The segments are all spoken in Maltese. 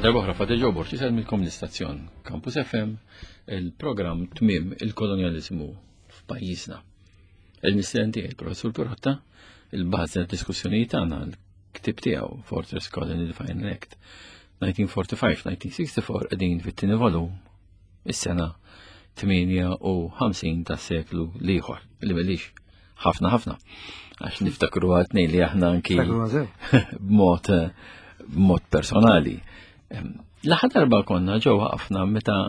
Darbohra Fadil Ġobor, xisel mill l-istazzjon Campus FM, il-programm Tmim il-Kolonializmu f'pajjiżna. Il-mistieden tiegħi, il-Professur Pirotta, il-bażi tad-diskussjonijiet tagħna, l-ktib tiegħu Fortress Colony the Final Act 1945-1964 qegħdin fit-tieni volum is-sena 58 tas-seklu l-ieħor, li m'ilix ħafna ħafna. Għax niftakru għatni li aħna anki b'mod b'mod personali. L-aħħar darba konna ġew ħafna meta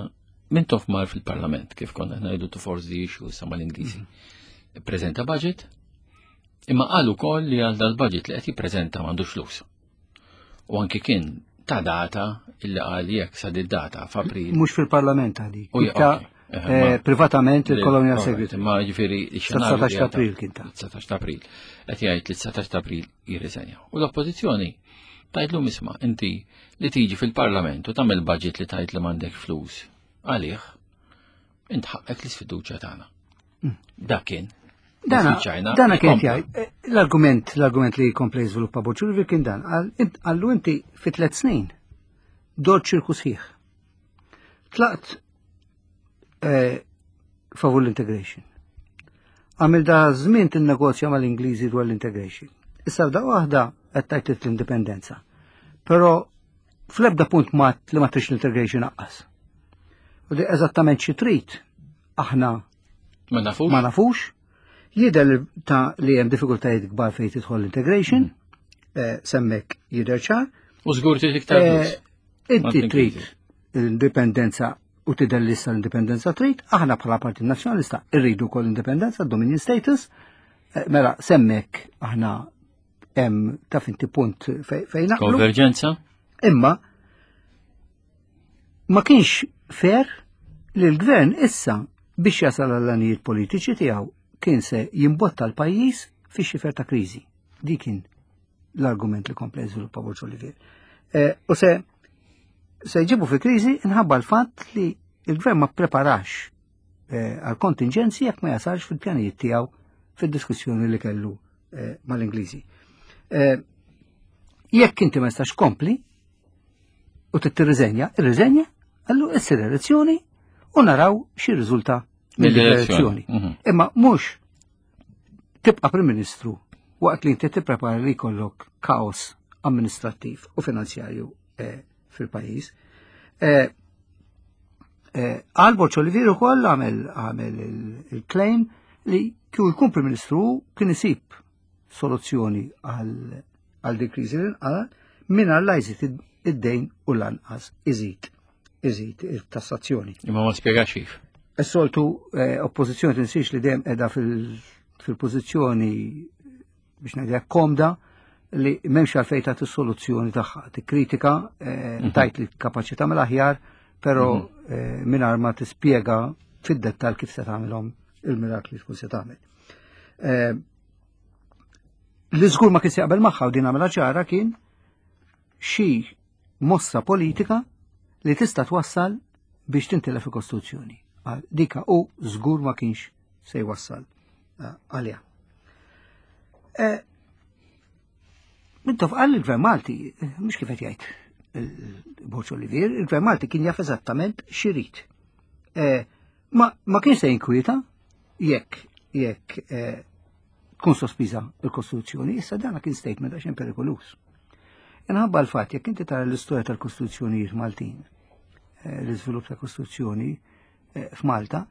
Mintoff mar fil-parlament kif konna ngħidu to force the issue sa mal-Ingliżi. Mhm. Prezenta budget, imma qal ukoll li għal dal-budget li qed jippreżenta m'għandux flus. U anki kien ta' data illi qal jekk sa data f'April. Mhux fil-parlament għadi. Eh, privatament il-Colonial Secretary. Ma ġifieri 19 ta' April kien ta' 19 ta' April. Qed jgħid li 19 ta' April jirriżenja. U l-oppożizzjoni tgħidlu isma' inti li tiġi fil-Parlament u tagħmel budget li tgħid li m'għandek flus għalih, int ħaqqek l-isfiduċja tagħna. Mm. Dak kien. Dana, dana kien jgħid, eh, l-argument, l-argument li jkompli jiżviluppa Boċurvi kien dan, għallu inti fi tliet snin dor ċirku sħiħ. Tlaqt eh, favur l-integration. Għamil da żmien tinnegozja mal-Ingliżi dwar l-integration. Issa f'daqqa waħda qed tajt l-indipendenza. Però fl-ebda punt ma li ma trix l-integration aqqas. U li eżattament xi trid aħna ma nafux. Ma nafux. Jidher ta' li hemm diffikultajiet kbar fejn tidħol l-integration, mm. eh, semmek jidher ċar. U żgur trid iktar. Eh, inti trid l-indipendenza u tidher li issa l-indipendenza trid, aħna bħala Partit Nazzjonalista rridu wkoll indipendenza, dominion status, eh, mela semmek aħna hemm taf inti punt fejn naqblu. Konverġenza? Imma ma kienx fair li l-gvern issa biex jasal għall-għanijiet politiċi tiegħu kien se jimbotta l-pajjiż fi xifer ta' kriżi. Dik kien l-argument li kompla jiżviluppa Borġ Olivier. Eh, u se se jġibu fi kriżi inħabba l-fatt li il-gvern ma preparax eh, għal kontingenzi jekk ma jasalx fil-pjanijiet tiegħu fid-diskussjoni li kellu eh, mal-Ingliżi. Jekk inti ma jistax kompli u tirriżenja, irriżenja, allu issir elezzjoni u naraw xi riżulta mill-elezzjoni. Mhm. Imma mhux tibqa' Prim Ministru waqt li inti tipprepara li jkollok kaos amministrattiv u finanzjarju eh, fil-pajjiż. Eh, eh, Għal Borċ Olivier ukoll għamel għamel il-claim li kieku jkun Prim Ministru kien isib soluzzjoni għal di kriżi li nqala mingħajr la jżid id-dejn u lanqas iżid iżid il-tassazzjoni. Imma ma spjegax kif. Is-soltu eh, oppożizzjoni tinsiex li dejjem qiegħda fil-pożizzjoni biex ngħidlek komda li m'hemmx għalfejn tagħti soluzzjoni tagħha. Tikkritika, eh, mhm. tajt li kapaċi tagħmel aħjar, però mhm. eh, mingħajr ma tispjega fid-dettal kif se tagħmilhom il-mirakli tkun se tagħmel. Li żgur ma kien se jaqbel magħha u din għamilha ċara kien xi mossa politika li tista' twassal biex tintilef il-Kostituzzjoni. Dika u żgur ma kienx se jwassal eh, għaliha. Eh, Mintoff qal il-Gvern Malti, eh, mhux kif qed jgħid il-Borġ Olivier, il-Gvern Malti kien jaf eżattament x'irid. Ma, ma kienx se jinkwieta jekk jekk tkun sospiża l-Kostituzzjoni, issa dana kien statement għax perikolus. Inħabba l-fatt jekk inti tara l-istorja tal-Kostituzzjonijiet Maltin, eh, l-iżvilupp ta' Kostituzzjoni eh, f'Malta,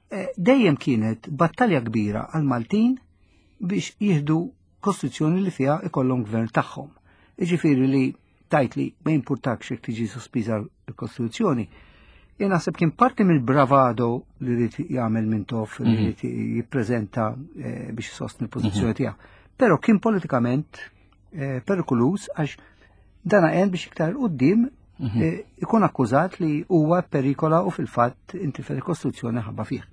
eh, dejjem kienet battalja kbira għal Maltin biex jieħdu Kostituzzjoni li fiha ikollhom gvern tagħhom. Iġifieri li tajt li ma jimpurtakx jekk tiġi sospiża l-Kostituzzjoni, jien naħseb kien parti mill-bravado li rrid jagħmel Mintoff li mhm. rrid jippreżenta eh, biex isostni l-pożizzjoni mhm. tiegħu. Però kien politikament eh, perikoluż għax dana għen biex iktar qudiem mhm. eh, ikun akkużat li huwa perikola u fil-fatt intilfet il-Kostituzzjoni ħabba fih.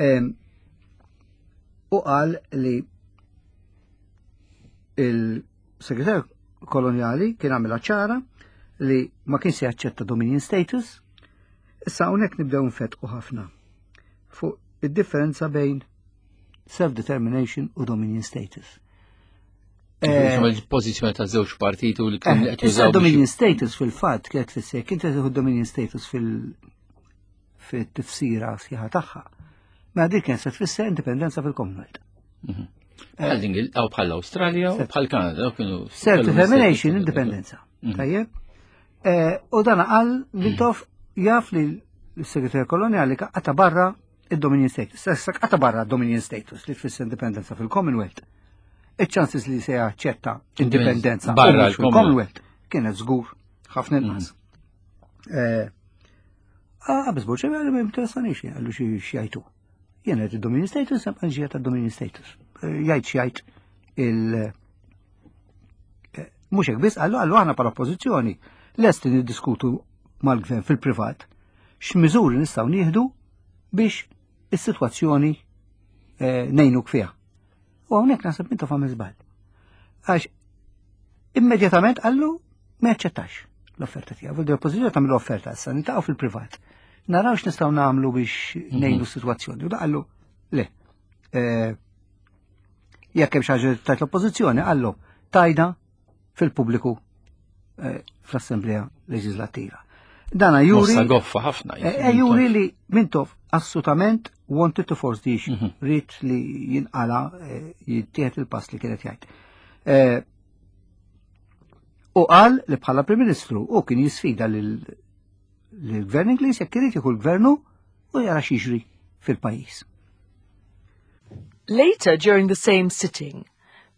Ehm, u qal li il Segretarju kolonjali kien għamilha ċara li ma kienx se jaċċetta dominion status. Issa hawnhekk nibdew nfetqu ħafna fuq id-differenza bejn self-determination u dominion status. Eh, il-pożizzjoni ta' żewġ partiti u li kien eh, qed jużaw. Dominion status fil-fatt kienet tfisser kien tieħu dominion status fil- fit-tifsira sħiħa tagħha. Ma dik kien se tfisser indipendenza fil-Commonwealth. Mhm. Bħal l aw bħal l-Awstralja u bħal Kanada kienu. Self-determination, indipendenza. Mhm. Tajjeb? Eh, u dan qal Mintoff jaf li l-segretarju koloniali qata barra il-Dominion Status. Issa qata barra Dominion Status li tfisser indipendenza fil-Commonwealth. Iċ-ċansis li se jaċċetta indipendenza barra l-Commonwealth kienet żgur ħafna inqas. Mm. Eh, ah, biss boċ, ma interessanix, għallu xi xjajtu. Jien qed id-Dominion Status, sebqa' ġija tad-Dominion Status. Eh, jgħid x'jgħid il- eh, mhux hekk biss qallu qallu aħna bħala oppożizzjoni lesti niddiskutu mal-gvern fil-privat x'miżuri nistgħu nieħdu biex is-sitwazzjoni eh, ngħinuk fiha. U hawnhekk naħseb intu fam żball. Għax immedjatament qallu ma jaċċettax l-offerta tiegħu. Vuol oppożizzjoni tagħmel offerta issa nitaqgħu fil-privat. Naraw x'nistgħu nagħmlu biex mhm. ngħinu s-sitwazzjoni. U qallu le. Eh, jekk hemm xi ħaġa tajt l-oppożizzjoni qallu tajda fil-pubbliku eh, fl-Assemblea Leġislattiva. Dana juri. Mossa goffa ħafna. Eh, eh, juri li Mintoff assolutament wanted to force the issue. Mhm. Rrit li jinqala jittieħed il-pass li kienet jgħid. U qal li bħala Prim Ministru u kien jisfida lill-Gvern Ingliż jekk irid jieħu l-gvernu u jara x'jiġri fil-pajjiż. Later during the same sitting,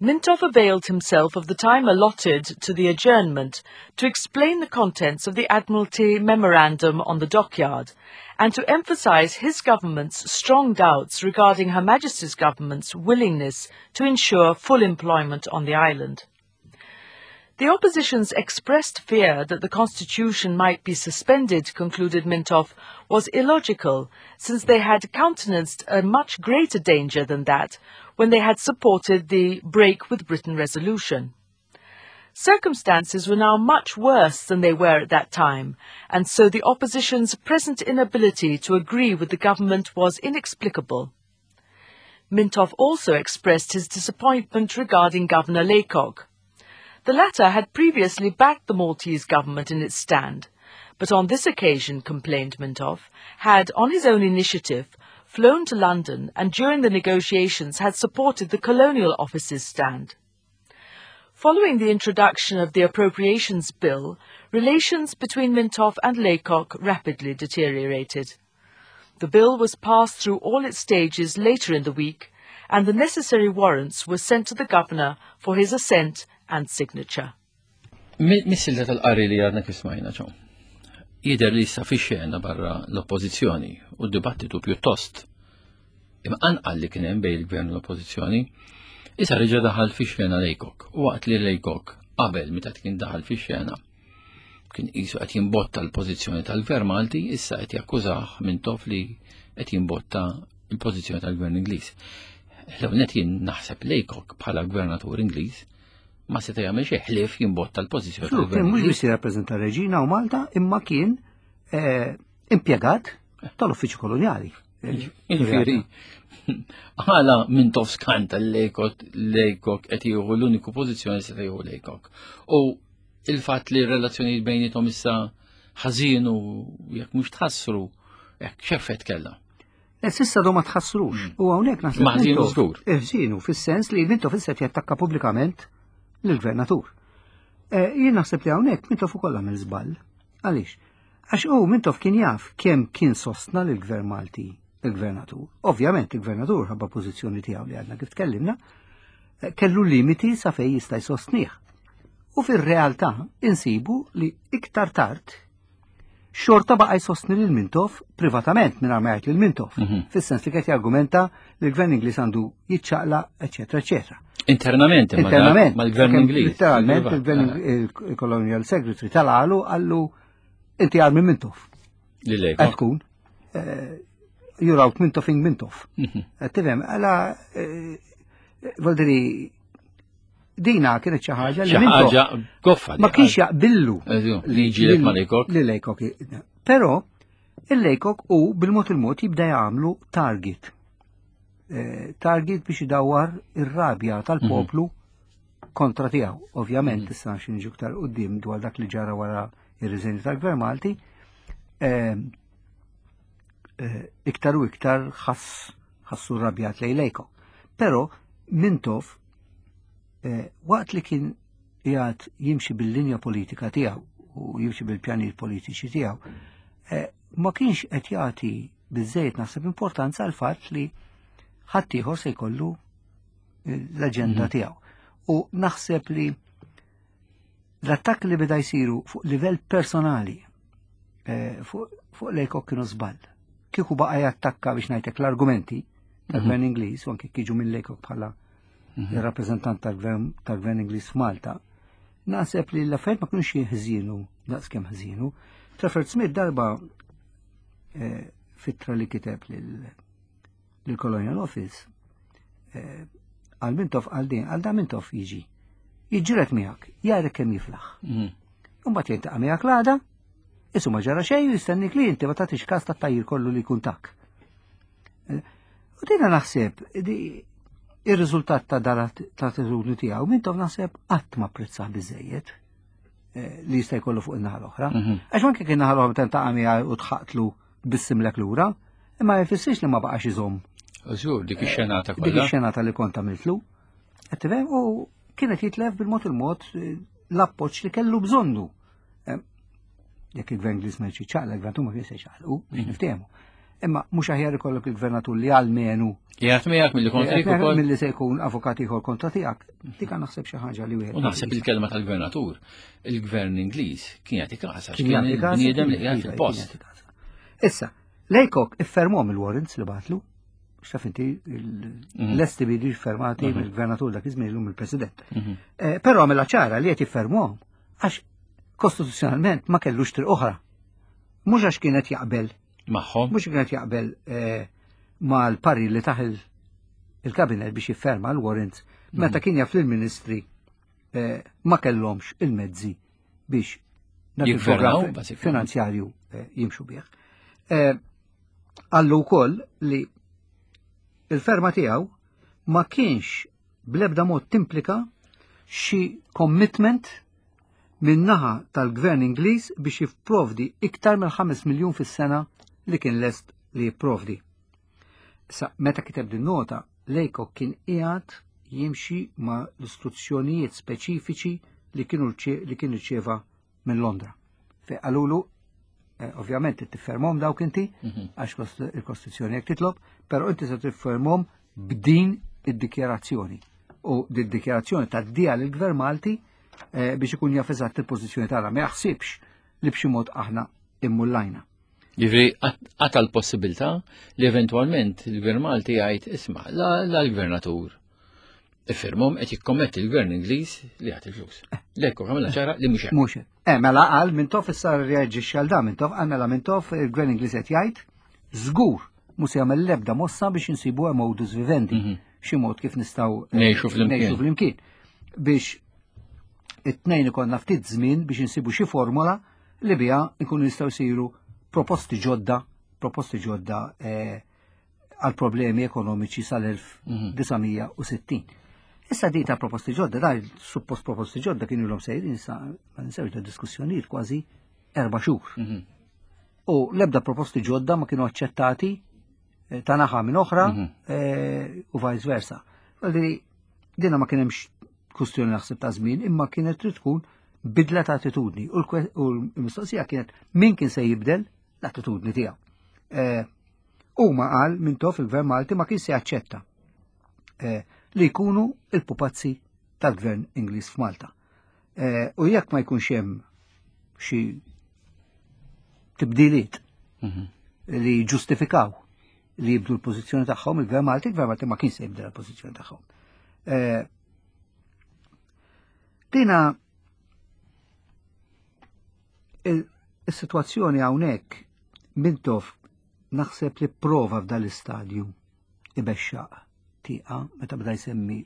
Mintoff availed himself of the time allotted to the adjournment to explain the contents of the Admiralty Memorandum on the dockyard and to emphasize his government's strong doubts regarding Her Majesty's government's willingness to ensure full employment on the island. The opposition's expressed fear that the constitution might be suspended, concluded Mintoff, was illogical, since they had countenanced a much greater danger than that when they had supported the Break with Britain resolution. Circumstances were now much worse than they were at that time, and so the opposition's present inability to agree with the government was inexplicable. Mintoff also expressed his disappointment regarding Governor Laycock. The latter had previously backed the Maltese government in its stand, but on this occasion, complained Mintoff, had, on his own initiative, flown to London and during the negotiations had supported the Colonial Office's stand. Following the introduction of the Appropriations Bill, relations between Mintoff and Laycock rapidly deteriorated. The bill was passed through all its stages later in the week, and the necessary warrants were sent to the governor for his assent and signature. Mis-silta tal-qari li għadna kif smajna ċo. Jider li issa fi xena barra l-oppożizzjoni u d-dibattitu pjuttost imqanqal li kien hemm bejn il-gvern u l-oppożizzjoni, issa reġa' daħal fi xena Lejkok. U waqt li Lejkok qabel meta kien daħal fi xena kien qisu qed jimbotta l-pożizzjoni tal-Gvern Malti, issa qed jakkużah Mintoff li qed jimbotta l-pożizzjoni tal-Gvern Ingliż. L-ewwel jien naħseb Laycock bħala gvernatur Ingliż ma seta' jagħmel xejn ħlief jimbotta l-pożizzjoni tal-Gvern. Mhux biss jirrappreżenta reġina u Malta, imma kien eh, impjegat tal-uffiċċju kolonjali. Jiġifieri, għala minn tof skanta l-Laycock qed jieħu l-uniku pożizzjoni se jieħu Laycock. U il-fatt li r-relazzjonijiet bejnietom issa ħażin u jekk mhux tħassru, hekk x'effett kellha? E sissa do ma tħassrux. Mm. U hawnhekk naħseb. Ma ħżinu żgur. Ħżinu fis-sens li Mintoff issa jattakka pubblikament lill-gvernatur. E, jien naħseb li hawnhekk Mintoff ukoll għamel żball. Għaliex? Għax u Mintoff kien jaf kemm kien sostna lill-gvern Malti il-gvernatur. Ovvjament il-gvernatur ħabba pożizzjoni tiegħu li għadna kif tkellimna, eh, kellu limiti sa fej jista' jsostnih. U fir-realtà insibu li iktar tard xorta baqa' jsostni lil Mintoff privatament mingħajr ma jgħid lil Mintoff. Mhm. Fis-sens li qed jargumenta li l-gvern Ingliż għandu jiċċaqla, eċetera, eċetera. Internament, internament, mal-gvern Ingliż. Literalment, il-gvern il-Colonial Secretary tal-għalu għallu inti għal minn Mintoff. Li Tkun. Eh, you're out Mintoffing Mintoff. Mhm. Eh, tifhem, għala, eh, voldiri, dina kienet xi ħaġa li ħaġa goffa. Ma kienx jaqbillu li ġielek ma Lejkok. Li Lejkok. Però il-Lejkok u bil-mod il-mod jibda jagħmlu target. Target biex idawwar ir-rabja tal-poplu mhm. kontra tiegħu. Ovvjament mhm. issa xi niġu iktar quddiem dwar dak li ġara wara ir-riżenju tal-Gvern Malti, ehm, eh, iktar u iktar ħass ħassu rabjat lej Lejko. Però Mintoff eh, waqt li kien jgħad jimxi bil-linja politika tiegħu u jimxi bil-pjanijiet politiċi tiegħu, eh, ma kienx qed jagħti biżejjed naħseb importanza għal fatt li ħaddieħor se jkollu l-aġenda mhm. tiegħu. U naħseb li l-attakk li beda jsiru fuq livell personali eh, fuq Lejkok kienu żball. Kieku baqa' jattakka biex ngħidlek l-argumenti tal-gvern mhm. Ingliż u anke kiġu minn Lejkok bħala mhm. il-rappreżentant tal-gvern Ingliż f'Malta, naħseb li l-affarijiet ma kienux ħżienu daqskemm ħżienu. Trafford Smith darba eh, fitra li kiteb lill-Colonial Office eh, għal Mintoff għal din, għal da Mintoff jiġi. Jiġġieled miegħek, jarek kemm jiflaħ. Mhm. Imbagħad jiltaqa' miegħek l-għada, isu ma ġara xejn jistennik li inti ma tagħtix każ tat-tajjir kollu li jkun tak. Eh, u dina naħseb, ir-riżultat ta' dara ta' attitudni tiegħu Mintoff naħseb qatt ma apprezzah biżejjed eh, li jista' jkollu fuq in-naħa l-oħra. Mhm. Għax anke kien naħa l-oħra tentaqa' miegħu u tħaqtlu bissimlek lura, imma jfissirx li ma baqax iżomm. Żgur, dik ix-xenata kollha. Dik ix-xenata li kont għamiltlu. Qed tifhem u kienet jitlef bil-mod il-mod eh, l-appoġġ li kellu bżonnu. Eh, jekk il-gvern Ingliż ma jċiċċaqla, il-gvernatur ma kienx se jċaqlqu biex mhm. niftehmu. Imma mhux aħjar ikollok il-gvernatur li għalmenu. Jgħat miegħek milli kontrik ukoll. Milli se jkun avukat ieħor kontra tiegħek. Dik naħseb xi ħaġa li wieħed. U naħseb il-kelma tal-gvernatur, il-gvern Ingliż kien jagħti każ għax kien bniedem li qiegħed fil-post. Issa, Lejkok iffermhom il-warrants li batlu, x'taf inti mhm. l-esti bi fermati mhm. mill-gvernatur dak iż-żmien illum il-President. Mhm. Eh, però għamilha ċara li qed jiffermuhom għax kostituzzjonalment ma kellux triq oħra. Mhux għax kienet jaqbel. Magħhom. Mhux kienet jaqbel eh, mal-parir li taħ il-kabinet biex jifferma l-warrants meta kien jaf lill-ministri eh, ma kellhomx il-mezzi biex dak il-programm finanzjarju eh, jimxu bih. Eh, Għallu wkoll li il-ferma tiegħu ma kienx blebda mod timplika xi commitment min-naħa tal-gvern Ingliż biex jipprovdi iktar minn 5 miljun fis-sena li kien lest li jipprovdi. Sa meta kiteb din nota, Lejkok kien qiegħed jimxi ma' l-istruzzjonijiet speċifiċi li kienu li kien irċieva minn Londra. Fejn qalulu eh, ovvjament tiffermhom dawk inti mhm. għax il-Kostituzzjoni jekk titlob, però inti se tiffermhom b'din id-dikjarazzjoni. U din id-dikjarazzjoni tgħaddiha lill-Gvern Malti eh, biex ikun jaf eżatt il-pożizzjoni tagħna. Ma jaħsibx li b'xi mod aħna immullajna. Ġifri, għata l-possibilità li eventualment il-Gvern Malti jgħid isma' la l-gvernatur iffirmhom qed jikkommetti l-Gvern Ingliż li jagħti flus. Lekku għamilha ċara li mhux hekk. Mhux Eh, mela qal Mintoff issa reaġixxi għal dan Mintoff qal mela Mintoff il-Gvern Ingliż qed jgħid żgur mhux se jagħmel l-ebda mossa biex insibu modus vivendi. Mhm. Xi mod kif nistgħu eh, ngħixu flimkien. Biex it-tnejn ikollna ftit żmien biex insibu xi formola li biha nkunu nistgħu jsiru proposti ġodda, proposti ġodda eh, għal problemi ekonomiċi sal-1960. Mhm. Issa di ta' proposti ġodda, da' suppost proposti ġodda kienu l-om sejrin sa' ma ninsewx da' diskussjonijiet kważi erba' xhur. Mhm. U l-ebda proposti ġodda ma kienu aċċettati eh, ta' naħa minn oħra mhm. eh, u vice versa. Għalli dina ma kien hemmx kwistjoni naħseb ta' żmien, imma kienet trid tkun bidla ta' attitudni. U l-mistoqsija kienet min kien se jibdel l-attitudni tiegħu. Eh, huma qal Mintoff il-Gvern Malti ma kien se jaċċetta eh, li jkunu il-pupazzi tal-Gvern Ingliż f'Malta. Eh, u jekk ma jkunx hemm xi tibdiliet mhm. li ġustifikaw li jibdu l-pożizzjoni tagħhom il-Gvern Malti, il-Gvern Malti ma kien se jibdel l-pożizzjoni tagħhom. Eh, dina il-situazzjoni hawnhekk Mintoff naħseb li prova f'dal istadju ibexxaq tieqa meta bda jsemmi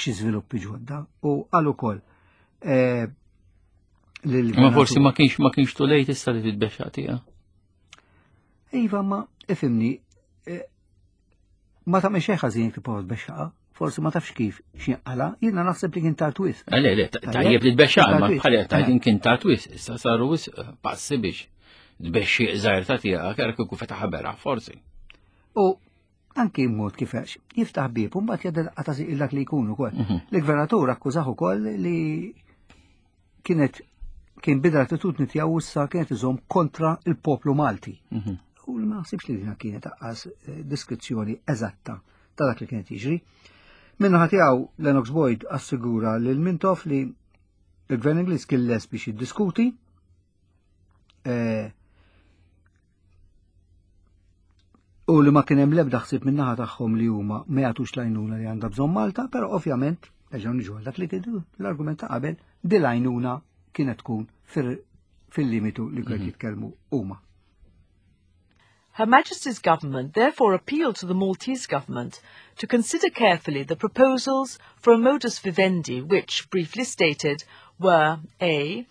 xi żviluppi ġodda u qal ukoll eh, Ma forsi ma kienx ma kienx too late issa li titbexxaq tieqa. Iva, ma ifimni, eh, ma tagħmel xejn ħażin kif tbexxaqa. forsi ma tafx kif x'inqala, jiena naħseb li kien tard wisq. Eh, le, le, tajjeb li tbexxa, ma bħal tajjeb kien tard wisq, issa saru wisq eh, passi biex tbexxi żgħir ta' tiegħek era kieku fetaħ beraħ forsi. U anki mod kif għax jiftaħ bieb u mbagħad jgħaddi daqqa ta' dak li jkun ukoll. Mhm. Il-gvernatur akkużah ukoll li kienet kien bidla l-attitudni tiegħu issa kienet iżomm kontra il-poplu Malti. Mhm. U ma naħsibx li dina kienet aqqas eh, diskrizzjoni eżatta ta' dak li kienet jiġri. Minnaħa tiegħu Lennox Boyd assigura lil Mintoff li il-Gvern Ingliż kien les biex jiddiskuti eh, u li ma kien hemm l-ebda ħsieb min-naħa tagħhom li huma ma jagħtux l-għajnuna li għandha bżonn Malta, però ovvjament nerġgħu niġu għal dak li kienu l-argument ta' qabel di l-għajnuna kienet tkun fil-limitu li kien mhm. jitkellmu huma. Her Majesty's government therefore appealed to the Maltese government to consider carefully the proposals for a modus vivendi which, briefly stated, were A.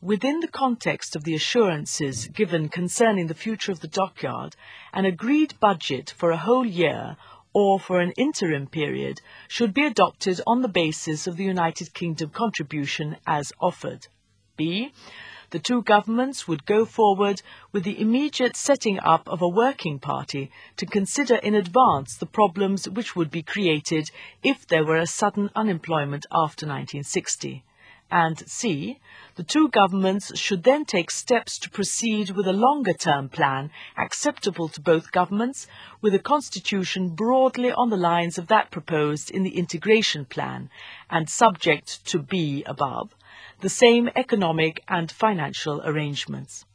Within the context of the assurances given concerning the future of the dockyard, an agreed budget for a whole year or for an interim period should be adopted on the basis of the United Kingdom contribution as offered. B. The two governments would go forward with the immediate setting up of a working party to consider in advance the problems which would be created if there were a sudden unemployment after 1960. And C. The two governments should then take steps to proceed with a longer-term plan acceptable to both governments, with a constitution broadly on the lines of that proposed in the integration plan and subject to B above, the same economic and financial arrangements.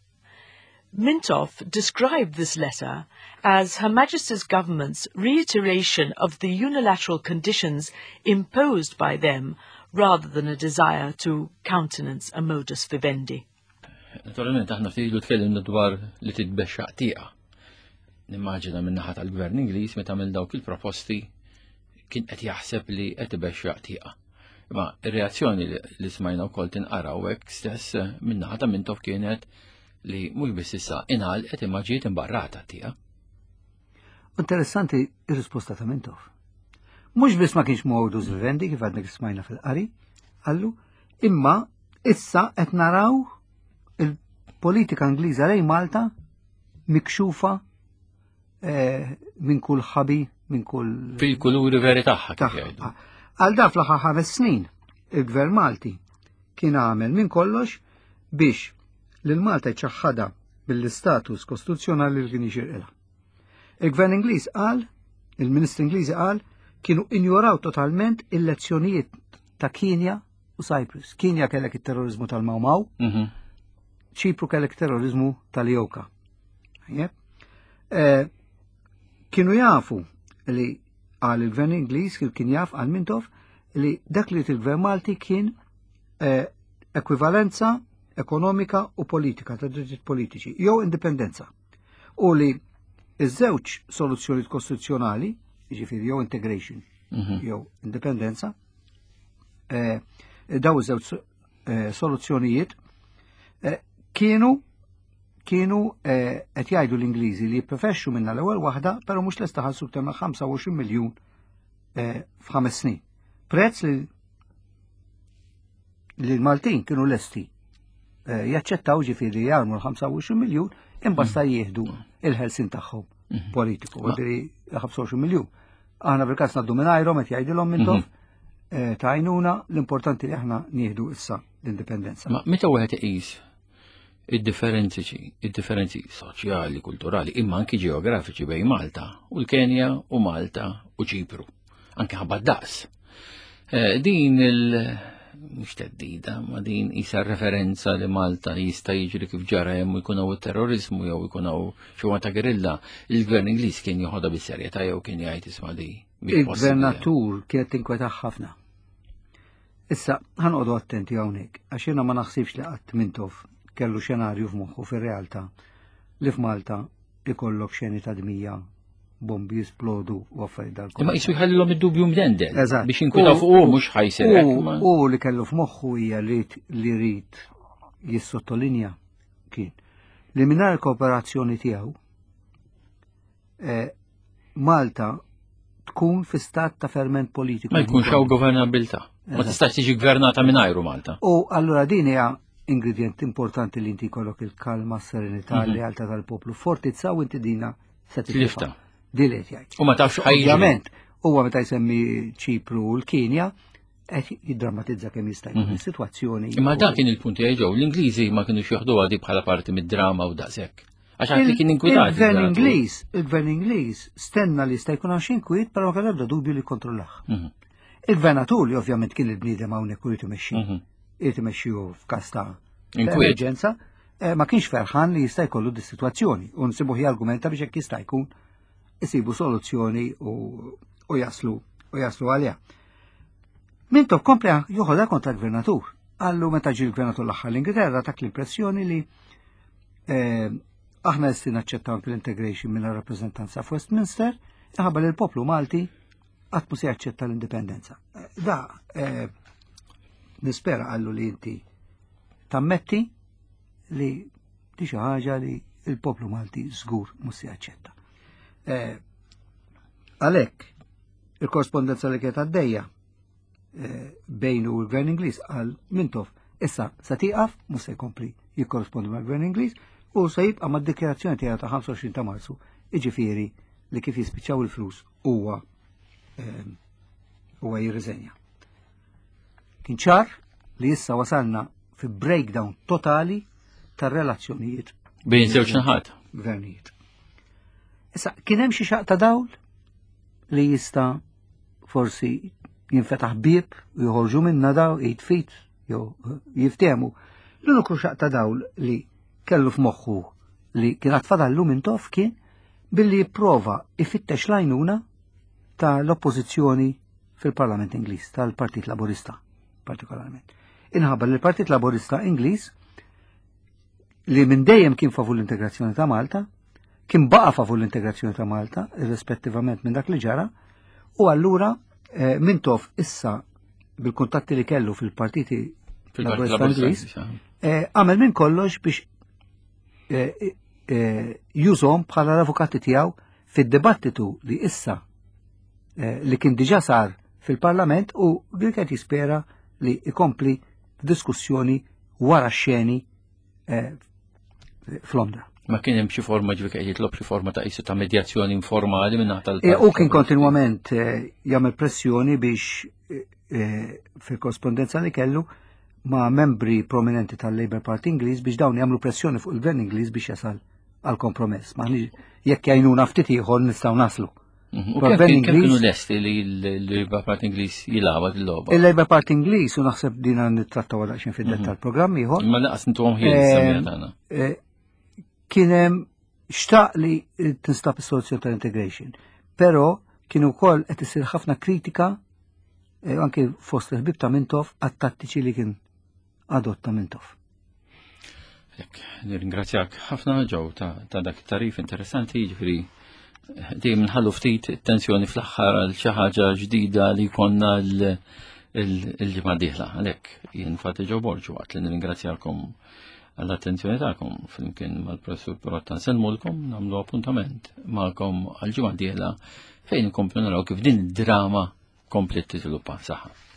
Mintoff described this letter as Her Majesty's government's reiteration of the unilateral conditions imposed by them rather than a desire to countenance a modus vivendi. Naturalment aħna ftit ilu tkellimna dwar li titbexxaq tieqa. Nimmaġina minn naħa tal-Gvern Ingliż meta għamel dawk il-proposti kien qed jaħseb li qed ibexxaq tieqa. Imma ir-reazzjoni li smajna wkoll tinqara hekk stess minn naħa ta' Mintoff kienet li mhux biss issa ingħalqet imma ġiet imbarrata tieqa. Interessanti ir-risposta ta' Mintoff. Mhux biss ma kienx modus vivendi kif għadna smajna fil-qari, qallu, imma issa qed naraw il-politika Ingliża lejn Malta mikxufa eh, minn kull ħabi, minn kull. Fil-kuluri veri tagħha kif jgħidu. Għal da fl-aħħar ħames snin, il-Gvern Malti kien għamel minn kollox biex lil Malta jċaħħadha mill-istatus kostituzzjonali li kien jixirqilha. Il-Gvern Ingliż qal, il-Ministru Ingliżi qal, kienu injoraw totalment il-lezzjonijiet ta' Kenya u Cyprus. Kenya kellek it-terrorizmu tal-Mau Mau, mhm. Ċipru kellek terrorizmu tal-Joka. Eh, kienu jafu li għal il-gvern Ingliż kien jaf għal Mintoff li dak li il-gvern Malti kien eh, ekwivalenza ekonomika u politika ta' drittijiet politiċi jew indipendenza. U li iż-żewġ soluzzjonijiet kostituzzjonali, jiġifieri jew integration mhm. jew indipendenza, eh, daw iż-żewġ eh, soluzzjonijiet eh, kienu kienu eh, qed jgħidu l-Ingliżi li jipprefexxu minna l-ewwel waħda, però mhux lesta ħallsu iktar minn 25 miljun f'ħames snin. Prezz li li l-Maltin kienu lesti jaċċettaw ġifieri jarmu l-25 miljun imbasta mm. jieħdu il-ħelsin tagħhom mm-hmm. politiku, ġifieri 25 miljun. Aħna fil-każ ngħaddu mingħajrhom qed jgħidilhom mintom mhm. eh, ta' għajnuna l-importanti li aħna nieħdu issa l-indipendenza. Ma meta wieħed iqis id-differenzi id-differenzi soċjali, kulturali, imma anki ġeografiċi bejn Malta u l-Kenja u Malta u Ċipru, anki ħabba daqs. Eh, din il- mhux teddida, ma din isa referenza li Malta jista' jiġri kif ġara hemm jkun hawn terrorizmu jew ikun hawn xi ta' gerilla, il-gvern Ingliż kien joħodha bis-serjetà jew kien jgħid isma' di. Il-gvernatur kienet tinkweta ħafna. Issa, ħanqodu attenti hawnhekk, għax jiena ma naħsibx li qatt Mintoff kellu xenarju f'moħħu fir-realtà li f'Malta ikollok xeni ta' dmija bombi jisplodu u affarijiet dal Imma jisu jħallilhom id-dubju mdendel. Eżatt. Biex inkwitaw fuq u mhux ħajsir hekk. U li kellu f'moħħu hija li li rid jissottolinja kien li mingħajr kooperazzjoni tiegħu eh, Malta tkun fi stat ta' ferment politiku. Ma jkunx hawn governabilità. Ma tistax tiġi gvernata mingħajru Malta. U allura din hija ingredient importanti li inti jkollok il-kalma, s-serenità, l-lealtà tal-poplu. Fortizza u inti dina se titlifta. Din li jgħid. U ma tafx Ovvjament, huwa meta jsemmi Ċipru u l-Kenja, qed jiddrammatizza kemm jista' jkun is-sitwazzjoni. Imma dak kien il-punt tiegħi ġew, l-Ingliżi ma kinux joħduha di bħala parti mid-drama u daqshekk. Għax għad li kien inkwitat. Il-gvern Ingliż, il-gvern Ingliż stenna li jista' jkun hawn xi inkwiet, però ma kellu ebda dubju li jikkontrollah. Il-gvernatur li ovvjament kien il-bniedem hawnhekk u jrid imexxi. Irid imexxi hu f'każ ta' emerġenza, eh, ma kienx ferħan li jista' jkollu dis-sitwazzjoni u nsibuh jargumenta biex hekk jista' jkun isibu soluzzjoni u jaslu u jaslu għaliha. Mintoff kompla joħodha kontra l-gvernatur. Għallu meta ġie l-gvernatur l-aħħar l-Ingilterra tak l-impressjoni li eh, aħna lesti naċċettaw anke l-integration minn rappreżentanza f'Westminster, minħabba li l-poplu Malti qatt mhu se jaċċetta l-indipendenza. Eh, da, eh, nispera għallu li inti tammetti li di xi ħaġa li il-poplu Malti żgur mhux se jaċċetta. Għalhekk, il-korrespondenza li kienet għaddejja eh, bejnu u l-Gvern Ingliż għal Mintoff issa se tieqaf mhux se jkompli jikkorrespondi mal-Gvern Ingliż u se jibqa' mad-dikjarazzjoni tiegħu ta' 25 ta' Marzu, jiġifieri li kif jispiċċaw il-flus huwa eh, huwa jirriżenja. Kien ċar li issa wasalna fi breakdown totali tar-relazzjonijiet bejn żewġ naħat. Gvernijiet. Issa, kien hemm xi xaq ta' dawl li jista' forsi jinfetaħ bieb u joħorġu minna daw jitfit jew jiftehmu. L-uniku xaq ta' dawl li kellu f'moħħu li kien għad fadallu minn tof kien billi jipprova ifittex l-għajnuna ta' l-oppożizzjoni fil-Parlament Ingliż, tal-Partit Laburista partikolarment. Inħabba li l-Partit Laburista Ingliż li minn dejjem kien favur l-integrazzjoni ta' Malta, kien baqa' favur l-integrazzjoni ta' Malta, irrispettivament minn dak li ġara, u allura eh, Mintoff issa bil-kuntatti li kellu fil-partiti Fil-Partit Laburista Ingliż, eh, għamel minn kollox biex eh, jużhom bħala l-avukati tiegħu fid-dibattitu li issa li kien diġà sar fil-Parlament u li qed jispera li ikompli diskussjoni wara xeni eh, f'Londra. Ma kien hemm xi forma ġifi qed jitlob xi forma ta' qisu ta' medjazzjoni informali minn tal eh, U kien kontinwament eh, jagħmel pressjoni biex fil-korrespondenza li kellu ma' membri prominenti tal-Labour Party Ingliż biex dawn jagħmlu pressjoni fuq il-Gvern Ingliż biex jasal għal kompromess. Ma jekk jgħinuna ftit ieħor nistgħu naslu. Mhm. U kemm kienu lesti li l-Labour Party Ingliż jilgħabha il-logħba? Il-Labour Party Ingliż u naħseb din nittrattaw daqsxejn fid-dettall mhm. programm ieħor. Ma laqas intuhom ħin eh, tagħna. Eh, kien hemm xtaq li tinstab is-soluzzjoni tal-integration, però kien ukoll qed isir ħafna kritika eh, anke fost il-ħbib ta' Mintoff għat-tattiċi li kien adotta Mintoff. Nirringrazzjak ħafna ġew ta' dak it-tarif interessanti, ġifieri dejjem nħallu ftit tensjoni fl-aħħar għal xi ħaġa ġdida li konna l-ġimgħa dieħla. Għalhekk jien Fati Ġew Borġu waqt li nirringrazzjakom għall-attenzjoni tagħkom flimkien mal-professur Pirotta nsellmulkom nagħmlu appuntament magħkom għall-ġimgħa dieħla fejn inkomplu naraw kif din id-drama kompliet tiżviluppa saħħa.